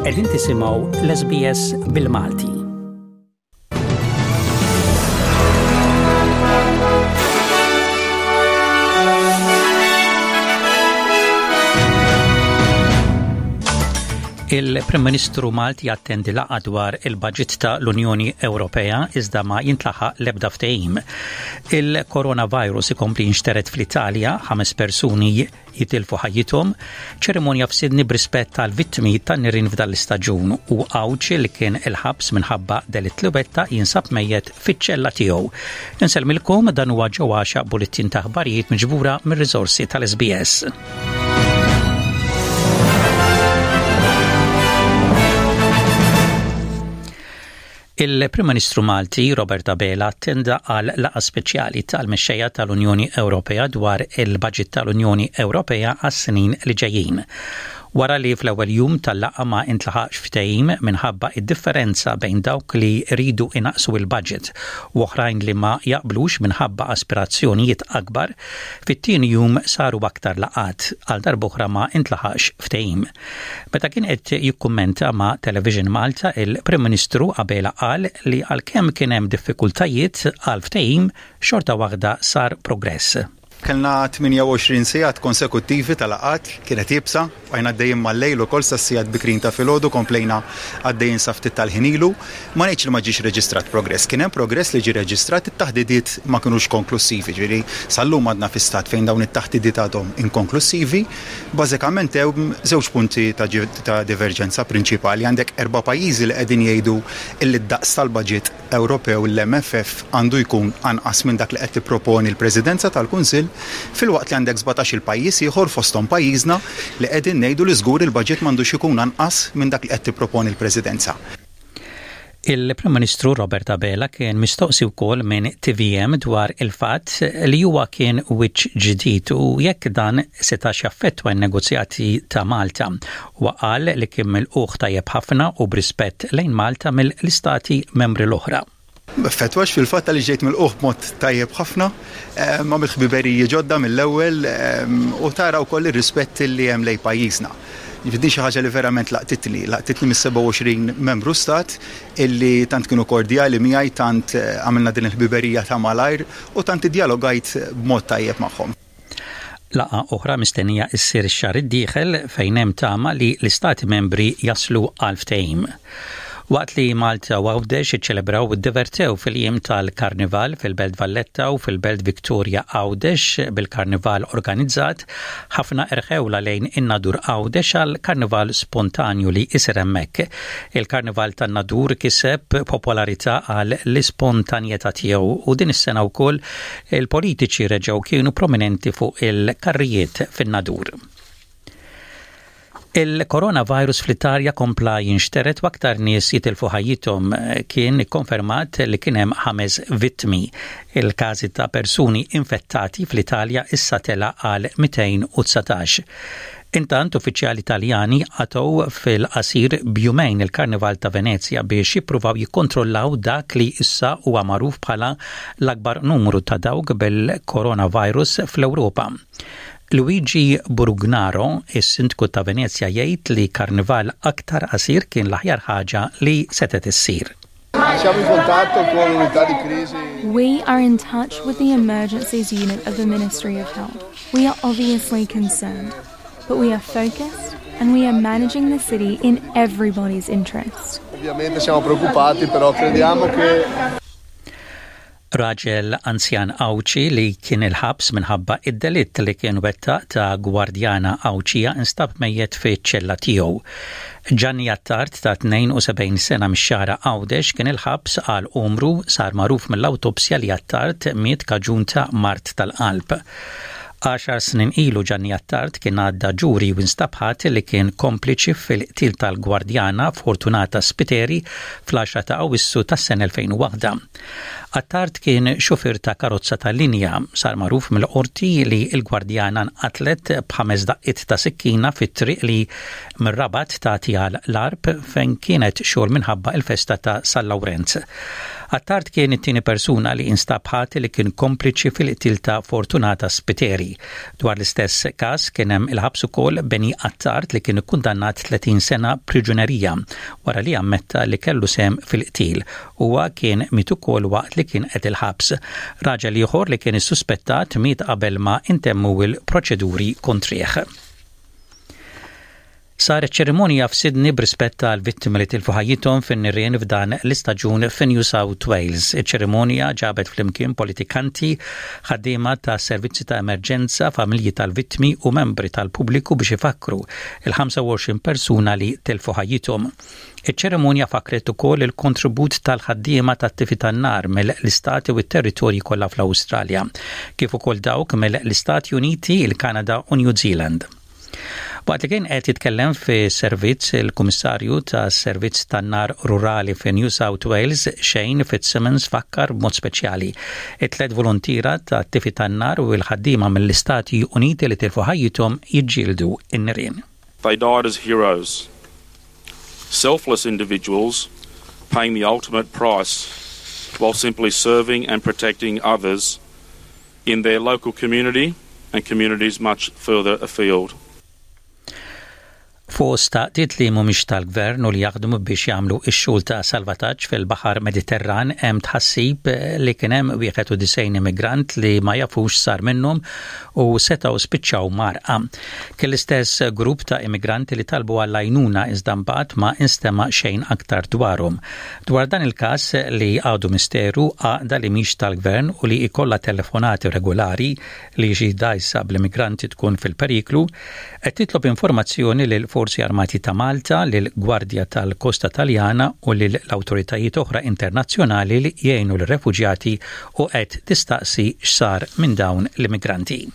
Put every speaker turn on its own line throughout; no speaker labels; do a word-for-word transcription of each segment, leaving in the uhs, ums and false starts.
Qegħdin tisimgħu l-S B S bil-Malti. Il-Prim Ministru Malti jattendi laqgħa dwar il-budget ta' l-Unjoni Ewropea, iżda ma jintlaħaq l-ebda ftehim. Il-coronavirus ikompli jinxtered fl-Italja, ħames persuni jitilfu ħajjithom, ċerimonja f'Sydney b'rispett tal-vittmi tan-nirien f'dan l-istaġun u Għawdxi li kien il-ħabs minħabba delitt li wettaq jinsab mejjet fiċ-ċella tiegħu. Insellmilkom, dan huwa ġewwaxa bulletin ta' aħbarijiet miġbura mir-riżorsi tal-S B S. Il-Prim Ministru Malti Robert Abela attenda għal laqgħa speċjali tal-mexxejja tal-Unjoni Ewropea dwar il-budget tal-Unjoni Ewropea għas-snin li ġejjin. Wara li fl-ewwel jum tal-laqgħa ma intlaħaqx ftehim minħabba id-differenza bejn dawk li ridu inaqsu il-budget u oħrajn li ma jaqblux minħabba aspirazzjonijiet akbar, fit-tieni jum saru aktar laqgħat, għal darb'oħra ma intlaħaqx ftehim. Meta kien qed jikkummenta ma' Television Malta, il-Prim Ministru Abela qal li għalkemm kien hemm diffikultajiet għal ftehim, xorta waħda sar progress.
Kellna tmienja u għoxrin sigħat konsekuttivi tal-laqgħat, kienet iebsa, għajna għaddejjin mal-lejl ukoll sas-sigħat bikrin ta' filgħodu, komplejna għaddejjin sa ftit tal-ħin ilu. Ma ngħidx li ma ġiex reġistrat progress, kien hemm progress li ġie reġistrat, it-taħdidiet ma kinux konklusivi, ġifieri sal-lum għadna fi stat fejn dawn it-taħdidiet għadhom inkonklusivi. Bażikament hemm żewġ punti ta', ta' diverġenza prinċipali. Għandek erba' pajjiżi li qegħdin jgħidu illi d-daqs tal-budget Ewropew, l-M F F, għandu jkun anqas minn dak li qed tipproponi l-Presidenza tal-Kunsill, filwaqt li għandek sbatax il pajjiż ieħor, fosthom pajjiżna, li qegħdin ngħidu li żgur il-budget m'għandux ikun anqas minn dak li qed tipproponi l-Presidenza.
Il-Prim Ministru Robert Abela kien mistoqsi wkoll minn T V M dwar il-fatt li huwa kien wiċċ ġdid u jekk dan setax jaffettwa n-negozjati ta' Malta. Huwa qal li kien milqugħ tajjeb ħafna u b'rispett lejn Malta mill-istati membri l-oħra.
Effettwax, fil-fatt li ġejt milqugħ b'mod tajjeb ħafna, eh, ma mill-ħbiberiji ġodda mill-ewwel eh, u tara wkoll ir-rispett li hemm lejn pajjiżna. Din xi ħaġa li verament laqtitni, laqtitni mis-sebgħa u għoxrin membru stat illi tant kienu kordjali miegħi, tant eh, għamilna din il-ħbiberija ta' malajr u tant iddialogajt b'mod tajjeb magħhom.
Laqgħa oħra mistennija issir ix-xahar id-dieħel fejn hemm tama li l-istati membri jaslu għal ftehim. Waqt li Malta u Għawdex iċċelebraw u divertew fil-jiem tal-Karnival fil-Belt Valletta u fil-Belt Victoria Għawdex bil-Karnival organizzat, ħafna erħewla lejn in-Nadur Għawdex għal karnival spontanju li isir hemmhekk. Il-Karnival tan-Nadur kiseb popolarità għal l-ispontanjetà tiegħu u din is-sena wkoll il-politiċi reġgħu kienu prominenti fuq il-karrijiet fin-Nadur. Il-coronavirus fl-Italja kompla jinxteret u aktar nies jitilfu ħajjithom. Kien ikkonfermat li kien hemm ħames vittmi. Il-każi ta' persuni infettati fl-Italja issa tela għal mitejn u dsatax. Intant, uffiċjali Italjani qatgħu fil-qasir b'jumejn il-Karnival ta' Venezia biex jippruvaw jikkontrollaw dak li issa huwa magħruf bħala l-akbar numru ta' dawk bil-coronavirus fl-Ewropa. Luigi Brugnaro, is-sindku ta' Venezia, jgħid li karnival aktar qasir kien l-aħjar ħaġa li setet issir.
Siamo in contatto con l'unità di crisi.
We are in touch with the emergencies unit of the Ministry of Health. We are obviously concerned, but we are focused and we are managing the city in everybody's interest.
Ovviamente siamo preoccupati, però crediamo che
Raġel anzjan Għawdxi li kien il-ħabs minħabba id-delitt li kien wettaq ta' gwardjana Għawdxija instab mejjet fi ċella tiegħu. Gianni Attard ta' tnejn u sebgħin sena mix-Xagħra Għawdex kien il-ħabs għal umru. Sar magħruf mill-awtopsja li Attard miet kaġun ta' mard tal-qalb. Għaxar snin ilu Gianni Attard kien għadda ġuri u instab ħati li kien kompliċi fil-qtil tal-gwardjana Fortunata Spiteri fl-għaxra ta' Awissu tas-sena elfejn u waħda. Attard kien xufier ta' karozza tal-linja. Sar magħruf mill-qorti li l-gwardjana nqatlet b'ħames daqqiet ta' sikkina fit-triq li mir-Rabat tagħti għal l-Għarb, fejn kienet xogħol minħabba il-festa ta' San Lawrenz. Attard kien it-tieni persuna li instab ħati li kien kompliċi fil-qtil ta' Fortunata Spiteri. Dwar l-istess każ kien hemm il-ħabs ukoll Beni Attard li kien ikkundannat tletin sena priġunerija wara li ammetta li kellu sehem fil-qtil. Huwa kien miet ukoll waqt li kien qed il-ħabs. Raġel ieħor li kien issuspettat miet qabel ma intemmu il-proċeduri kontrih. Saret ċerimonja f'Sydney b'rispett għal vittimi li tilfu ħajjithom fin-nirien f'dan l-istaġun fi New South Wales. Iċ-ċerimonja ġabet flimkien politikanti, ħaddiema ta' servizzi ta' emerġenza, familji tal-vittmi u membri tal-pubbliku biex ifakru il-ħamsa u għoxrin persuna li tilfu ħajjithom. Iċ-ċerimonja fakret ukoll il-kontribut tal-ħaddiema tat-tifi tan-nar mill-istati u t-territorji kollha fl-Awstralja, kif ukoll dawk mill-Istati Uniti, il-Kanada u New Zealand. Waqt li kien qed jitkellem fi servizz, il-Kummissarju ta' Servizz tan-Nar Rurali fi New South Wales, Shane Fitzsimmons, fakkar b'mod speċjali it-tliet volontiera ta' tifi tan-nar u l-ħaddiema mill-Istati Uniti li tilfu ħajjithom jiġġieldu in-nirien.
They died as heroes, selfless individuals paying the ultimate price while simply serving and protecting others in their local community and communities much further afield.
Fost għaqdiet li mhumiex tal-gvern u li jaħdmu biex jagħmlu x-xogħol ta' salvataġġ fil-Baħar Mediterran hemm tħassib li kien hemm wieħed u disgħin immigrant li ma jafux sar minnhom u setgħu spiċċaw mgħarrqa. Kien l-istess grupp ta' immigranti li talbu għall-għajnuna, iżda mbagħad ma instema xejn aktar dwarhom. Dwar dan il-każ li għadu misteru, għaqda li mhix tal-gvern u li ikolla telefonati regolari li xi dgħajsa bl-immigranti tkun fil-periklu, qed titlob informazzjoni lil Forzi Armati ta' Malta, lil Gwardja tal-Kosta Taljana u lil l-awtoritajiet oħra internazzjonali li jgħinu l-refuġjati u qed tistaqsi x'sar minn dawn l-immigranti.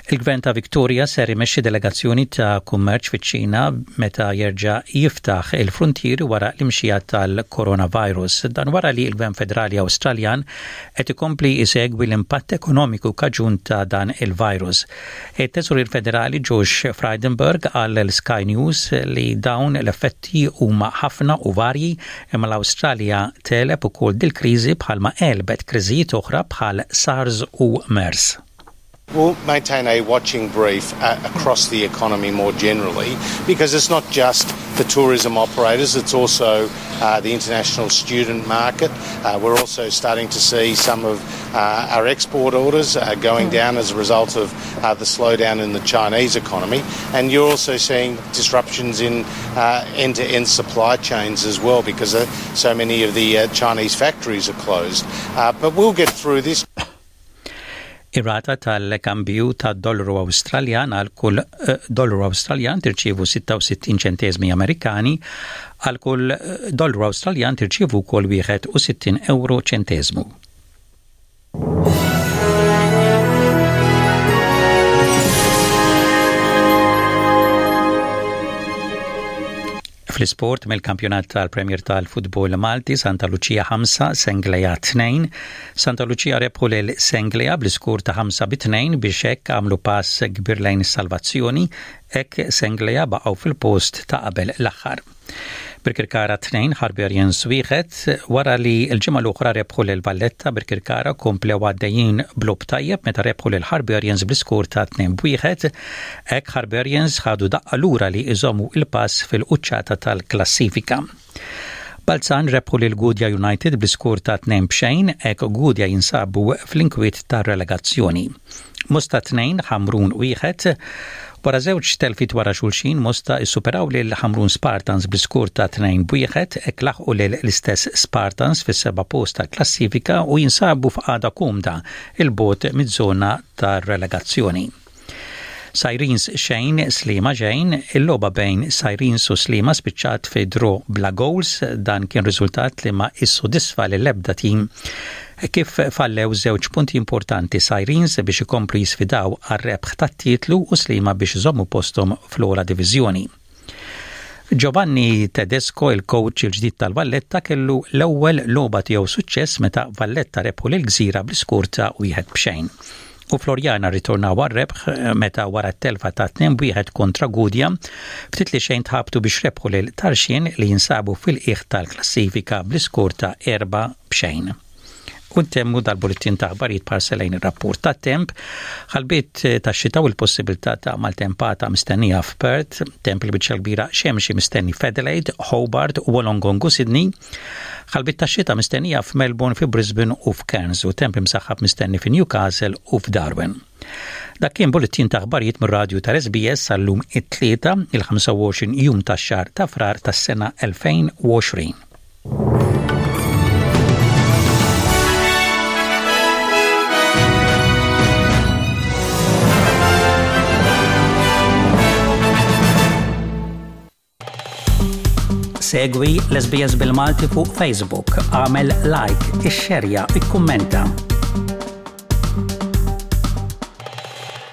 Il-Gvern ta' Victoria ser imexxi delegazzjoni ta' kummerċ fiċ-Ċina meta jerġa' jiftaħ il-frontieri wara l-imxija tal-coronavirus. Dan wara li l-Gvern Federali Awstraljan qed ikompli isegwi l-impatt ekonomiku kaġun ta' dan il-virus. Il-Teżorier Federali Josh Frydenberg qal lil Sky News li dawn l-effetti huma ħafna u varji, imma l-Awstralja tegħleb ukoll dil-kriżi bħalma għelbet kriżijiet oħra bħal SARS u MERS.
We'll maintain a watching brief uh, across the economy more generally because it's not just the tourism operators, it's also uh, the international student market. Uh, we're also starting to see some of uh, our export orders uh, going down as a result of uh, the slowdown in the Chinese economy. And you're also seeing disruptions in end to end supply chains as well because so many of the Chinese factories are closed. But we'll get through this.
Ir-rata tal-kambju tad-dollaru Awstraljan: għal kull eh, dollaru Awstraljan tirċievu sitta u sittin ċentesmi Amerikani, għal kull eh, dollaru Awstraljan tirċievu wkoll wieħed u sittin euro ċentesmu. Fl-isport, mill-kampjonat tal-Premier tal-Futbol Malti, Santa Lucia ħamsa, Senglea tnejn. Santa Lucia rebħu lil Senglea bl-iskur ta' ħamsa bi tnejn biex hekk għamlu pass kbir lejn is-salvazzjoni, hekk Senglea baqgħu fil-post ta' qabel l-aħħar. Birkirkara tnejn, Hibernians wieħed. Wara li l-ġimgħa l-oħra rebħu lil Valletta, Birkirkara komplew għaddejjin b'logħob tajjeb meta rebħu lil Hibernians bl-iskur ta' tnejn b'wieħed. Hekk Hibernians ħadu daqqa lura li iżommu il-pass fil-quċċata tal-klassifika. Balzan rebħu lil Gudja United bl-iskur ta' tnejn b'xejn, hekk Gudja jinsabu fl-inkwiet tar-relegazzjoni. Mosta tnejn, Ħamrun wieħed. Wara żewġ telfiet wara xulxin, Mosta issuperaw lil Ħamrun Spartans bl-iskur ta' tnejn b'wieħed, hekk laħqu lil l-istess Spartans fis-seba' post ta' klassifika u jinsabu f'qagħda komda 'il bogħod miż-żona tar-relegazzjoni. Sirens xejn, Sliema xejn. Il-logħba bejn Sirens u Sliema spiċċat fi draw bla goals. Dan kien riżultat li ma issodisfa l-ebda tim, kif fallew żewġ punti importanti Sirens biex ikomplu jisfidaw għar-rebħ tat-titlu u Sliema biex iżommu postom fl-ogħla diviżjoni. Giovanni Tedesco, il-coach il-ġdid tal-Valletta, kellu l-ewwel logħba tiegħu suċċess meta Valletta rebħu lil Gżira bl-iskur ta' wieħed b'xejn. U Floriana ritornaw għar-rebħ meta wara t-telfa ta' tnejn wieħed kontra Gudja, ftit li xejn tħabtu biex rebħu lil Tarxien li jinsabu fil-qiegħ tal-klassifika bl-iskor ta' erba' b'xejn. U ntemmu dal-bulletin ta' aħbarijiet b'ħarsa lejn ir-rapport ta' temp, ħalbiet ta' xita u l-possibilità ta' maltempata mistennija f'Perth, temp il-biċċa kbira xemxi mistenni f'Adelaide, Hobart, Wollongong u Sydney, ħalbiet ta' xita mistennija f'Melbourne, fi Brisbane u f'Cairns u temp imsaħħab mistenni fi Newcastle u f'Darwin. Dak kien bulletin ta' aħbarijiet mir-radju tal-S B S sal-lum it-Tlieta, il-ħamsa u għoxrin jum tax-xahar ta' Frar tas-sena elfejn u għoxrin. Segwi l-S B S bil-Malti fuq Facebook, għamel like, ixxerja, ikkummenta.